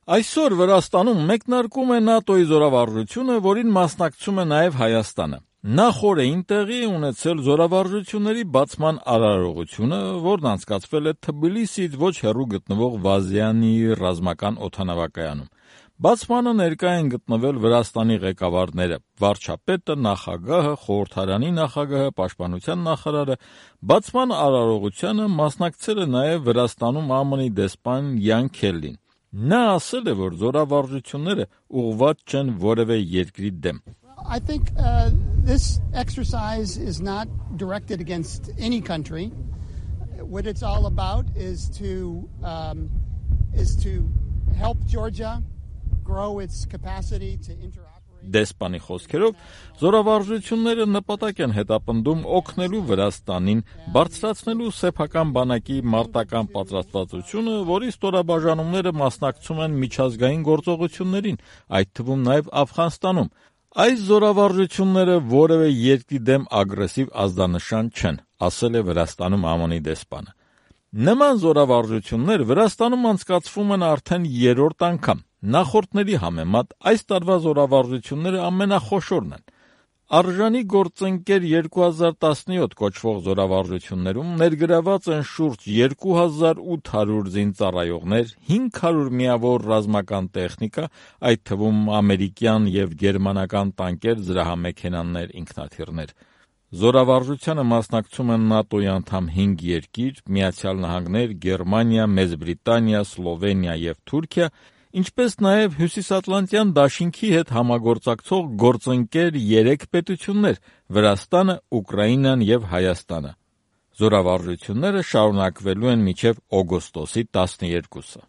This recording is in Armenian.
Այսօր Վրաստանում մեկնարկում է ՆԱՏՕ-ի զորավարժությունը, որին մասնակցում է նաև Հայաստանը։ Նախ օրերին տեղի է ունեցել զորավարժությունների բացման արարողությունը, որն անցկացվել է Թբիլիսիից ոչ հեռու գտնվող Վազյանի ռազմական օդանավակայանում։ Բացմանը ներկա են գտնվել Վրաստանի ղեկավարները՝ վարչապետը, նախագահը, խորհրդարանի նախագահը, պաշտպանության նախարարը։ Բացման արարողությանը մասնակցել է նաև Վրաստանում ԱՄՆ-ի դեսպան Յան Քելլին։ Նա ասել է, որ զորավարժությունները ուղղված չեն որևէ երկրի դեմ։ I think this exercise is not directed against any country. What it's all about is to help Georgia grow its capacity to interoperate. Դեսպանի խոսքերով, զորավարժությունները նպատակ են հետապնդում օգնելու Վրաստանին բարձրացնելու սեփական բանակի մարտական պատրաստվածությունը, որի ստորաբաժանումները մասնակցում են միջազգային գործողություններին, այդ թվում նաև Աֆղանստանում։ Այս զորավարժությունները որևէ երկրի դեմ ագրեսիվ ազդանշան չեն, ասել է Վրաստանում ԱՄՆ-ի դեսպանը։ Նման զորավարժություններ Վրաստանում անցկացվում են արդեն երրորդ անգամ։ Նախորդների համեմատ այս տարվա զորավարժությունները ամենախոշորն են։ Արժանի գործընկեր 2017 կոչվող զորավարժություններում ներգրաված են շուրջ 2800 զինծառայողներ, 500 միավոր ռազմական տեխնիկա, այդ թվում ամերիկյան և գերմանական տանկեր, զրահամեքենաներ, ինքնաթիռներ։ Զորավարժությանը մասնակցում են ՆԱՏՕ-ի անդամ 5 երկիր՝ Միացյալ Նահանգներ, Գերմանիա, Մեծ Բրիտանիա, Սլովենիա և Թուրքիա, ինչպես նաև Հյուսիսատլանտյան դաշինքի հետ համագործակցող գործընկեր 3 պետություններ՝ Վրաստանը, Ուկրաինան և Հայաստանը։ Զորավարժությունները շարունակվելու են մինչև օգոստոսի 12-ը։